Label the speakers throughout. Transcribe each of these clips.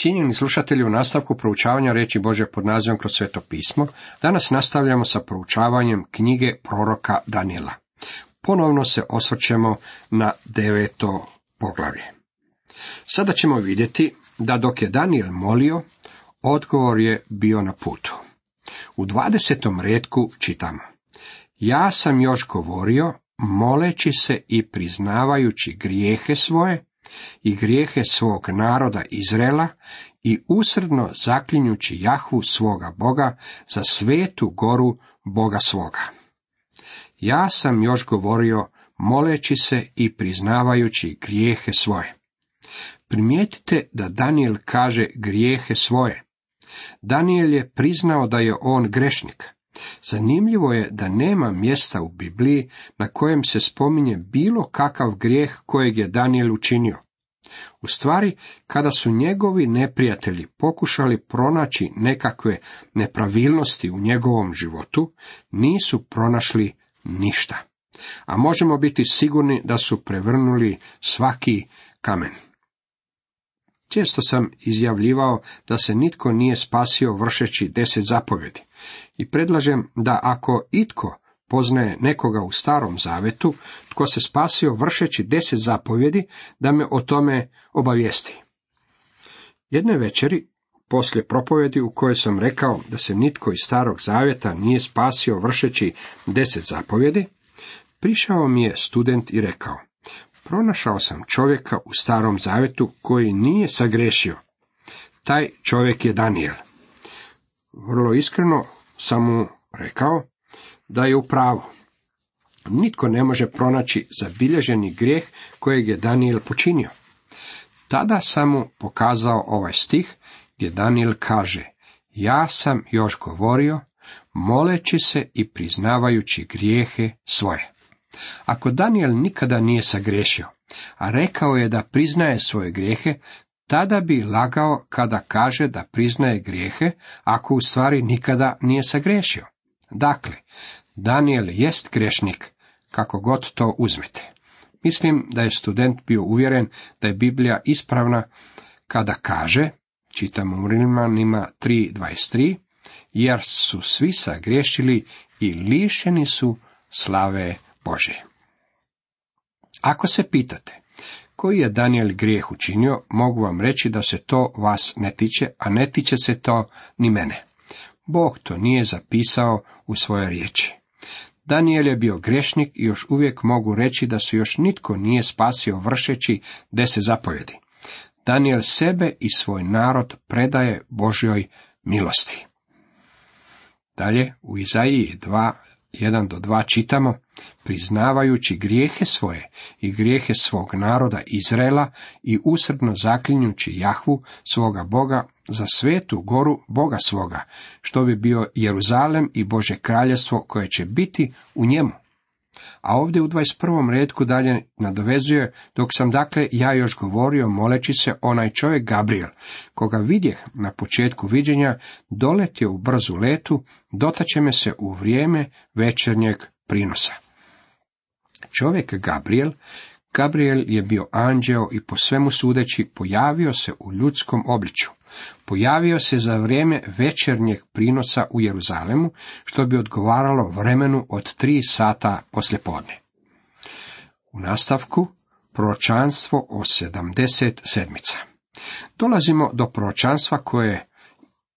Speaker 1: Cijenjeni slušatelji, u nastavku proučavanja riječi Božje pod nazivom Kroz sveto pismo, danas nastavljamo sa proučavanjem knjige proroka Danijela. Ponovno se osvrćemo na 9. poglavlje. Sada ćemo vidjeti da dok je Danijel molio, odgovor je bio na putu. U 20. retku čitamo: Ja sam još govorio, moleći se i priznavajući grijehe svoje i grijehe svog naroda Izraela i usrdno zaklinjući Jahvu svoga Boga za svetu goru Boga svoga. Ja sam još govorio, moleći se i priznavajući grijehe svoje. Primijetite da Danijel kaže grijehe svoje. Danijel je priznao da je on grešnik. Zanimljivo je da nema mjesta u Bibliji na kojem se spominje bilo kakav grijeh kojeg je Danijel učinio. U stvari, kada su njegovi neprijatelji pokušali pronaći nekakve nepravilnosti u njegovom životu, nisu pronašli ništa. A možemo biti sigurni da su prevrnuli svaki kamen. Često sam izjavljivao da se nitko nije spasio vršeći 10 zapovjedi. I predlažem da ako itko poznaje nekoga u Starom Zavetu, tko se spasio vršeći 10 zapovjedi, da me o tome obavijesti. Jedne večeri, poslije propovjedi u kojoj sam rekao da se nitko iz Starog Zavjeta nije spasio vršeći 10 zapovjedi, prišao mi je student i rekao: pronašao sam čovjeka u Starom Zavjetu koji nije sagrešio. Taj čovjek je Danijel. Vrlo iskreno sam mu rekao da je u pravu. Nitko ne može pronaći zabilježeni grijeh kojeg je Danijel počinio. Tada sam mu pokazao ovaj stih gdje Danijel kaže: ja sam još govorio, moleći se i priznavajući grijehe svoje. Ako Danijel nikada nije sagriješio, a rekao je da priznaje svoje grijehe, tada bi lagao kada kaže da priznaje grijehe, ako u stvari nikada nije sagriješio. Dakle, Danijel jest grešnik, kako god to uzmete. Mislim da je student bio uvjeren da je Biblija ispravna kada kaže, čitamo u Rimljanima 3:23, jer su svi sagriješili i lišeni su slave Božje. Ako se pitate koji je Danijel grijeh učinio, mogu vam reći da se to vas ne tiče, a ne tiče se to ni mene. Bog to nije zapisao u svojoj riječi. Danijel je bio grešnik i još uvijek mogu reći da se još nitko nije spasio vršeći 10 zapovjedi. Danijel sebe i svoj narod predaje Božjoj milosti. Dalje u Izaiji 2:1-2 čitamo: priznavajući grijehe svoje i grijehe svog naroda Izraela i usrdno zaklinjući Jahvu svoga Boga za svetu goru Boga svoga, što bi bio Jeruzalem i Božje kraljevstvo koje će biti u njemu. A ovdje u 21. retku dalje nadovezuje: dok sam dakle ja još govorio, moleći se, onaj čovjek Gabriel, koga vidjeh na početku viđenja, doletio u brzu letu, dotače me se u vrijeme večernjeg prinosa. Čovjek Gabriel je bio anđeo i po svemu sudeći pojavio se u ljudskom obličju. Pojavio se za vrijeme večernjeg prinosa u Jeruzalemu, što bi odgovaralo vremenu od 3 sata poslijepodne. U nastavku proročanstvo o 70 sedmica. Dolazimo do proročanstva koje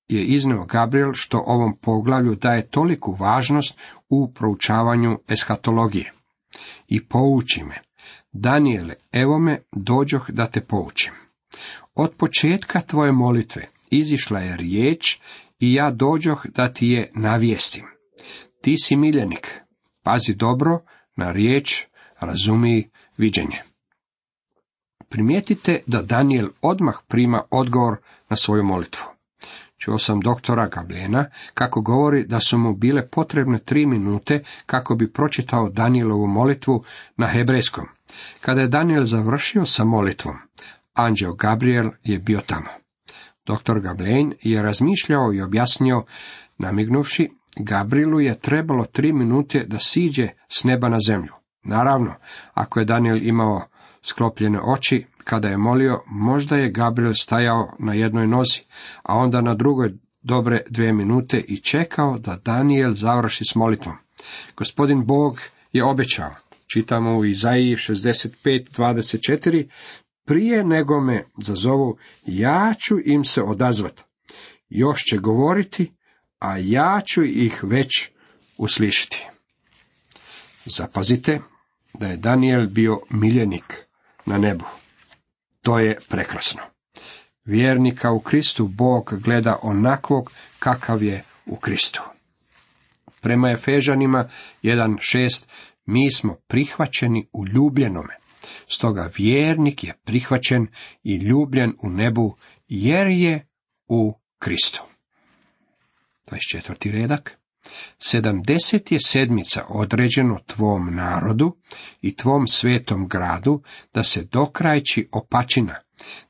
Speaker 1: je iznio Gabriel, što ovom poglavlju daje toliku važnost u proučavanju eskatologije. I pouči me, Danijele, evo me, dođoh da te poučim. Od početka tvoje molitve izišla je riječ i ja dođoh da ti je navijestim. Ti si miljenik, pazi dobro na riječ, razumij viđenje. Primijetite da Danijel odmah prima odgovor na svoju molitvu. Čuo sam doktora Gablena kako govori da su mu bile potrebne 3 minute kako bi pročitao Danijelovu molitvu na hebrejskom. Kada je Danijel završio sa molitvom, anđeo Gabriel je bio tamo. Doktor Gablen je razmišljao i objasnio, namignuvši, Gabrielu je trebalo 3 minute da siđe s neba na zemlju. Naravno, ako je Danijel imao sklopljene oči. Kada je molio, možda je Gabriel stajao na jednoj nozi, a onda na drugoj dobre 2 minute i čekao da Danijel završi s molitvom. Gospodin Bog je obećao, čitamo u Izaiji 65:24, prije nego me zazovu, ja ću im se odazvati. Još će govoriti, a ja ću ih već uslišiti. Zapazite da je Danijel bio miljenik na nebu. To je prekrasno. Vjernika u Kristu Bog gleda onakvog kakav je u Kristu. Prema Efežanima 1:6 mi smo prihvaćeni u ljubljenome. Stoga vjernik je prihvaćen i ljubljen u nebu jer je u Kristu. 24. redak. 70 je sedmica određeno tvom narodu i tvom svetom gradu, da se dokrajči opačina,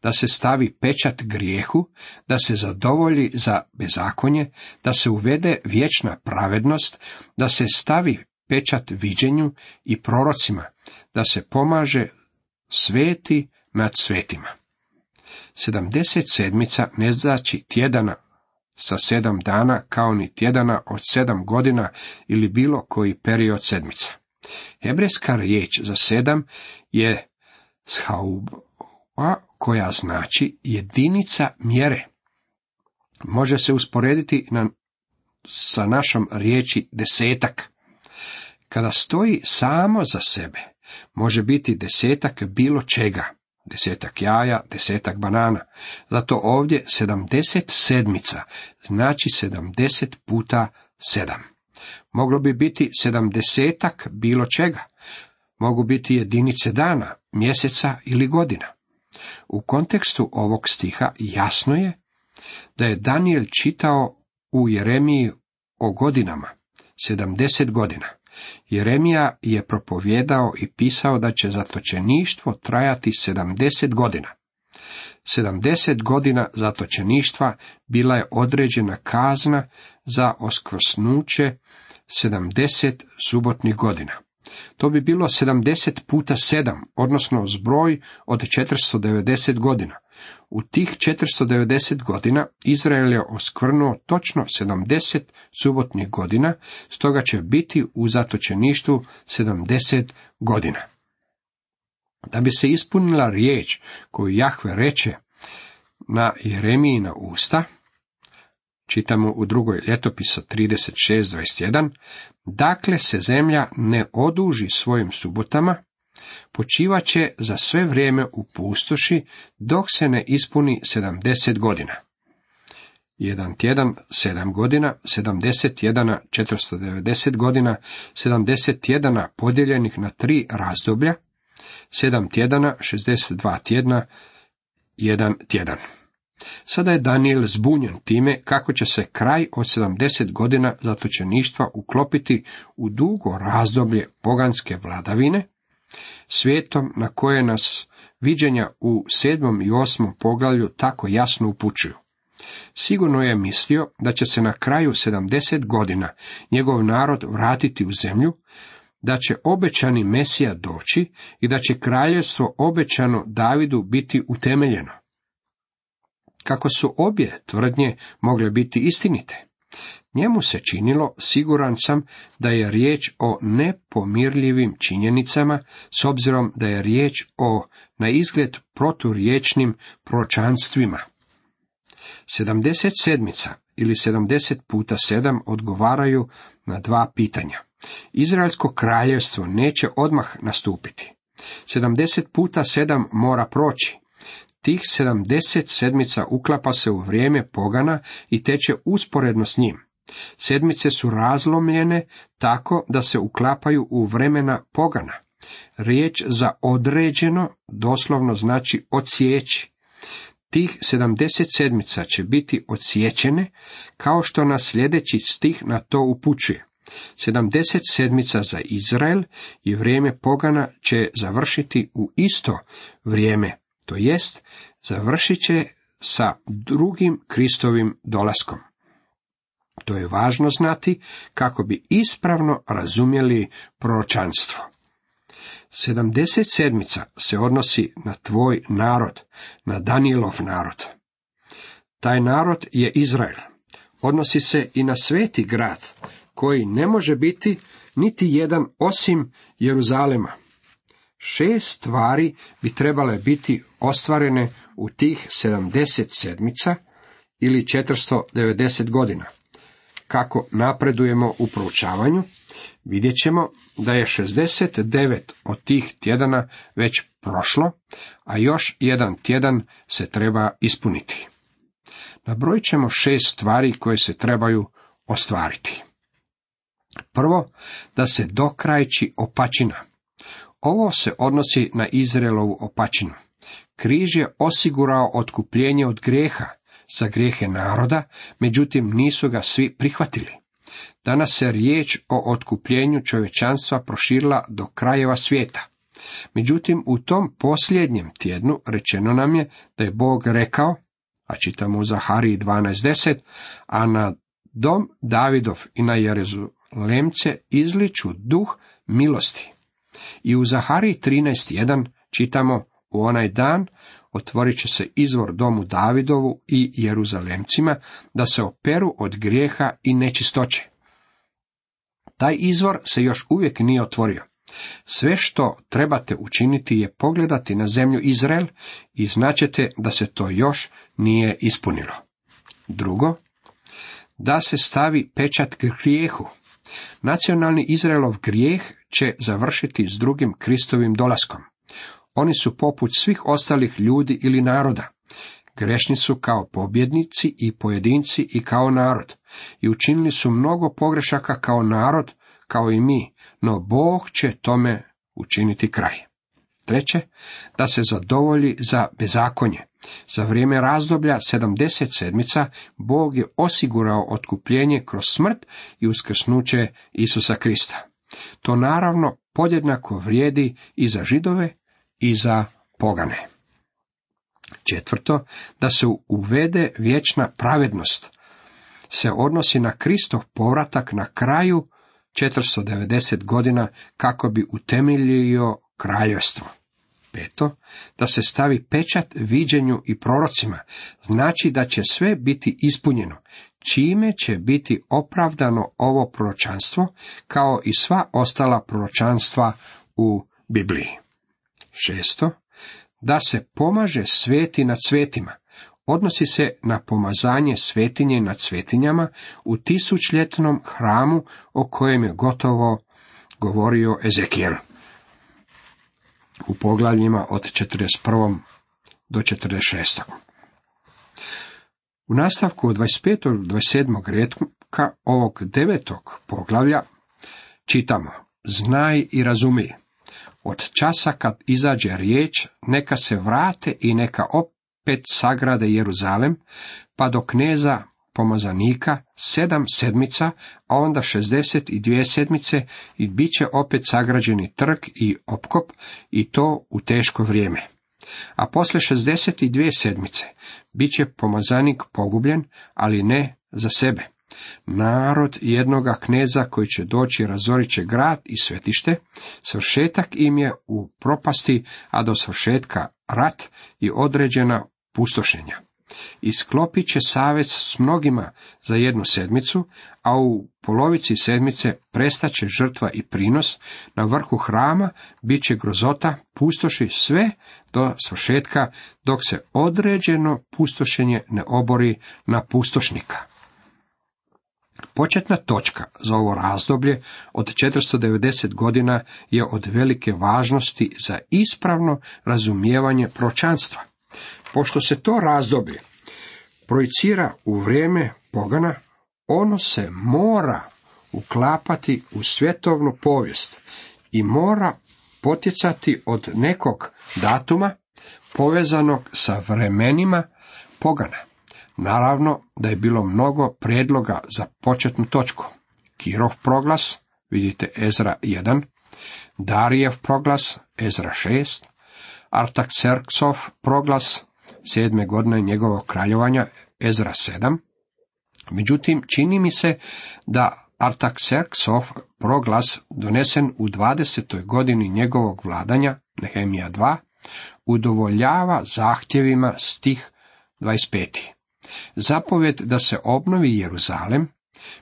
Speaker 1: da se stavi pečat grijehu, da se zadovolji za bezakonje, da se uvede vječna pravednost, da se stavi pečat viđenju i prorocima, da se pomaže sveti nad svetima. 70 sedmica ne znači tjedana sa 7 dana, kao ni tjedana od 7 godina ili bilo koji period sedmica. Hebrejska riječ za 7 je shauba, koja znači jedinica mjere. Može se usporediti sa našom riječi desetak. Kada stoji samo za sebe, može biti desetak bilo čega, 10 jaja, 10 banana. Zato ovdje 70 sedmica znači 70 puta 7. Moglo bi biti 70 bilo čega. Mogu biti jedinice dana, mjeseca ili godina. U kontekstu ovog stiha jasno je da je Danijel čitao u Jeremiji o godinama, 70 godina. Jeremija je propovjedao i pisao da će zatočeništvo trajati 70 godina. 70 godina zatočeništva bila je određena kazna za oskvrsnuće 70 subotnih godina. To bi bilo 70 puta 7, odnosno zbroj od 490 godina. U tih 490 godina Izrael je oskvrnuo točno 70 subotnih godina, stoga će biti u zatočeništvu 70 godina. Da bi se ispunila riječ koju Jahve reče na Jeremijina usta, čitamo u 2. Ljetopisa 36:21, dakle se zemlja ne oduži svojim subotama, počivaće za sve vrijeme u pustoši, dok se ne ispuni 70 godina. 1 tjedan 7 godina, 70 tjedana 490 godina, 70 tjedana podijeljenih na 3 razdoblja, 7 tjedana 62 tjedna, 1 tjedan. Sada je Danijel zbunjen time kako će se kraj od 70 godina zatočeništva uklopiti u dugo razdoblje poganske vladavine, svijetom na koje nas viđenja u 7. i 8. poglavlju tako jasno upućuju. Sigurno je mislio da će se na kraju 70 godina njegov narod vratiti u zemlju, da će obećani Mesija doći i da će kraljevstvo obećano Davidu biti utemeljeno. Kako su obje tvrdnje mogle biti istinite? Njemu se činilo, siguran sam, da je riječ o nepomirljivim činjenicama, s obzirom da je riječ o na izgled proturječnim proročanstvima. 70 sedmica ili 70 puta 7 odgovaraju na 2 pitanja. Izraelsko kraljevstvo neće odmah nastupiti. 70 puta 7 mora proći. Tih 70 sedmica uklapa se u vrijeme pogana i teče usporedno s njim. Sedmice su razlomljene tako da se uklapaju u vremena pogana. Riječ za određeno doslovno znači odsjeći. Tih 70 sedmica će biti odsječene, kao što nas sljedeći stih na to upućuje. 70 sedmica za Izrael i vrijeme pogana će završiti u isto vrijeme, to jest završit će sa drugim Kristovim dolaskom. To je važno znati kako bi ispravno razumjeli proročanstvo. 77 se odnosi na tvoj narod, na Danielov narod. Taj narod je Izrael. Odnosi se i na sveti grad, koji ne može biti niti jedan osim Jeruzalema. 6 stvari bi trebale biti ostvarene u tih 77 ili 490 godina. Kako napredujemo u proučavanju, vidjet ćemo da je 69 od tih tjedana već prošlo, a još jedan tjedan se treba ispuniti. Nabrojit ćemo 6 stvari koje se trebaju ostvariti. Prvo, da se dokrajči opačina. Ovo se odnosi na Izraelovu opačinu. Križ je osigurao otkupljenje od grijeha za grijehe naroda, međutim nisu ga svi prihvatili. Danas se riječ o otkupljenju čovječanstva proširila do krajeva svijeta. Međutim, u tom posljednjem tjednu rečeno nam je da je Bog rekao, a čitamo u Zahariji 12:10, a na dom Davidov i na Jeruzalemce izliču duh milosti. I u Zahariji 13:1 čitamo, u onaj dan otvorit će se izvor domu Davidovu i Jeruzalemcima, da se operu od grijeha i nečistoće. Taj izvor se još uvijek nije otvorio. Sve što trebate učiniti je pogledati na zemlju Izrael i znaćete da se to još nije ispunilo. Drugo, da se stavi pečat grijehu. Nacionalni Izraelov grijeh će završiti s drugim Kristovim dolaskom. Oni su poput svih ostalih ljudi ili naroda. Grešni su kao pobjednici i pojedinci i kao narod. I učinili su mnogo pogrešaka kao narod, kao i mi, no Bog će tome učiniti kraj. Treće, da se zadovolji za bezakonje. Za vrijeme razdoblja 77 Bog je osigurao otkupljenje kroz smrt i uskrsnuće Isusa Krista. To naravno podjednako vrijedi i za Židove i za pogane. Četvrto, da se uvede vječna pravednost. Se odnosi na Kristov povratak na kraju 490 godina kako bi utemeljio kraljevstvo. Peto, da se stavi pečat viđenju i prorocima, znači da će sve biti ispunjeno, čime će biti opravdano ovo proročanstvo, kao i sva ostala proročanstva u Bibliji. Šesto, da se pomaže sveti nad svetima, odnosi se na pomazanje svetinje nad svetinjama u tisućljetnom hramu o kojem je gotovo govorio Ezekijel u poglavljima od 41. do 46. U nastavku od 25. do 27. redka ovog 9. poglavlja čitamo: Znaj i razumij. Od časa kad izađe riječ, neka se vrate i neka opet sagrade Jeruzalem, pa do kneza pomazanika 7 sedmica, a onda 62 sedmice i bit će opet sagrađeni trg i opkop, i to u teško vrijeme. A posle 62 sedmice bit će pomazanik pogubljen, ali ne za sebe. Narod jednoga kneza koji će doći razorit će grad i svetište, svršetak im je u propasti, a do svršetka rat i određena pustošenja. I sklopit će savez s mnogima za 1 sedmicu, a u polovici sedmice prestaće žrtva i prinos, na vrhu hrama bit će grozota, pustoši sve do svršetka, dok se određeno pustošenje ne obori na pustošnika. Početna točka za ovo razdoblje od 490 godina je od velike važnosti za ispravno razumijevanje proročanstva. Pošto se to razdoblje projicira u vrijeme pogana, ono se mora uklapati u svjetovnu povijest i mora potjecati od nekog datuma povezanog sa vremenima pogana. Naravno da je bilo mnogo prijedloga za početnu točku. Kirov proglas, vidite Ezra 1, Darijev proglas, Ezra 6, Artakserksov proglas, 7. godine njegovog kraljevanja, Ezra 7. Međutim, čini mi se da Artakserksov proglas donesen u 20. godini njegovog vladanja, Nehemija 2, udovoljava zahtjevima stih 25. Zapovjed da se obnovi Jeruzalem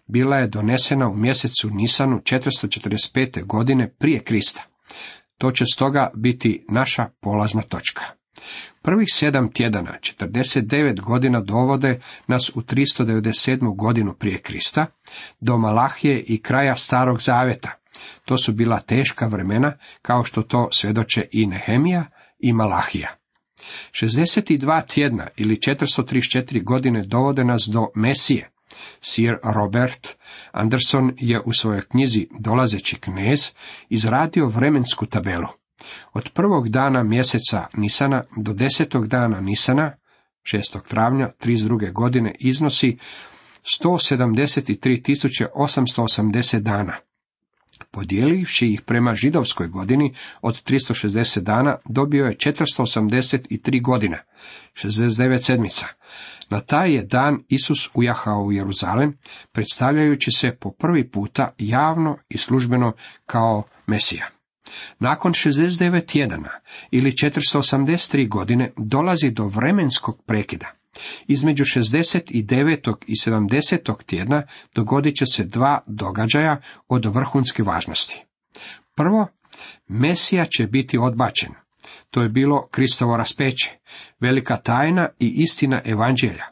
Speaker 1: bila je donesena u mjesecu Nisanu 445. godine prije Krista. To će stoga biti naša polazna točka. Prvih 7 tjedana, 49 godina dovode nas u 397. godinu prije Krista, do Malahije i kraja Starog Zaveta. To su bila teška vremena, kao što to svjedoče i Nehemija i Malahija. 62 tjedna ili 434 godine dovode nas do Mesije. Sir Robert Anderson je u svojoj knjizi Dolazeći knez izradio vremensku tabelu. Od prvog dana mjeseca Nisana do 10. dana Nisana, 6. travnja 32. godine, iznosi 173.880 dana. Podijelivši ih prema židovskoj godini od 360 dana, dobio je 483 godina, 69 sedmica. Na taj je dan Isus ujahao u Jeruzalem, predstavljajući se po prvi puta javno i službeno kao Mesija. Nakon 69 tjedana ili 483 godine dolazi do vremenskog prekida. Između 69. i 70. tjedna dogodit će se 2 događaja od vrhunske važnosti. Prvo, Mesija će biti odbačen. To je bilo Kristovo raspeće, velika tajna i istina evanđelja.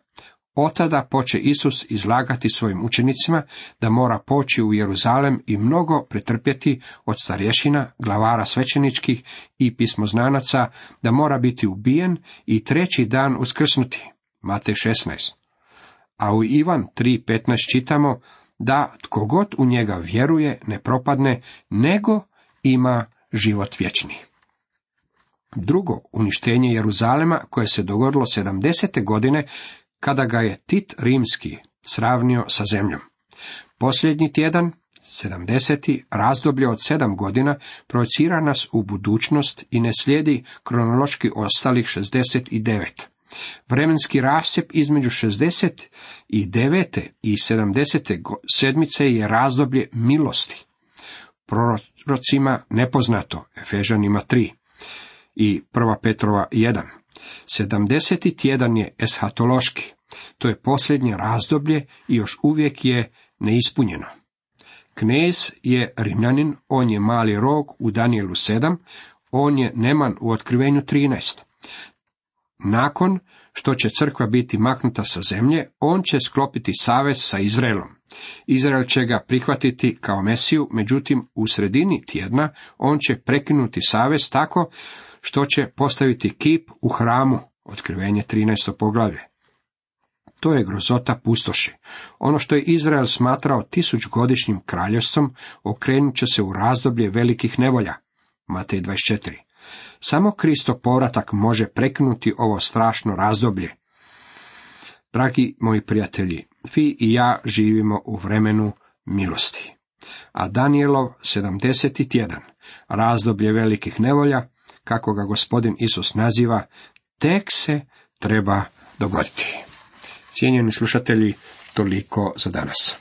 Speaker 1: Otada poče Isus izlagati svojim učenicima da mora poći u Jeruzalem i mnogo pretrpjeti od starješina, glavara svećeničkih i pismoznanaca, da mora biti ubijen i 3. dan uskrsnuti. Matej 16. A u Ivan 3.15 čitamo da tko god u njega vjeruje ne propadne, nego ima život vječni. Drugo, uništenje Jeruzalema koje se dogodilo 70. godine kada ga je Tit Rimski sravnio sa zemljom. Posljednji tjedan, 70. razdoblje od 7 godina, projicira nas u budućnost i ne slijedi kronološki ostalih 69. Vremenski rascjep između 69. i 70. sedmice je razdoblje milosti. Prorocima nepoznato, Efežanima 3 i 1. Petrova 1. 70. tjedan je eshatološki, to je posljednje razdoblje i još uvijek je neispunjeno. Knez je Rimljanin, on je mali rog u Danijelu 7, on je Neman u Otkrivenju 13. Nakon što će crkva biti maknuta sa zemlje, on će sklopiti savez sa Izraelom. Izrael će ga prihvatiti kao Mesiju, međutim u sredini tjedna on će prekinuti savez tako što će postaviti kip u hramu, Otkrivenje 13. poglavlje. To je grozota pustoši. Ono što je Izrael smatrao 1000-godišnjim kraljevstvom, okrenut će se u razdoblje velikih nevolja, Matej 24. Samo Kristov povratak može prekinuti ovo strašno razdoblje. Dragi moji prijatelji, vi i ja živimo u vremenu milosti. A Danijelov 70. tjedan, razdoblje velikih nevolja, kako ga Gospodin Isus naziva, tek se treba dogoditi. Cijenjeni slušatelji, toliko za danas.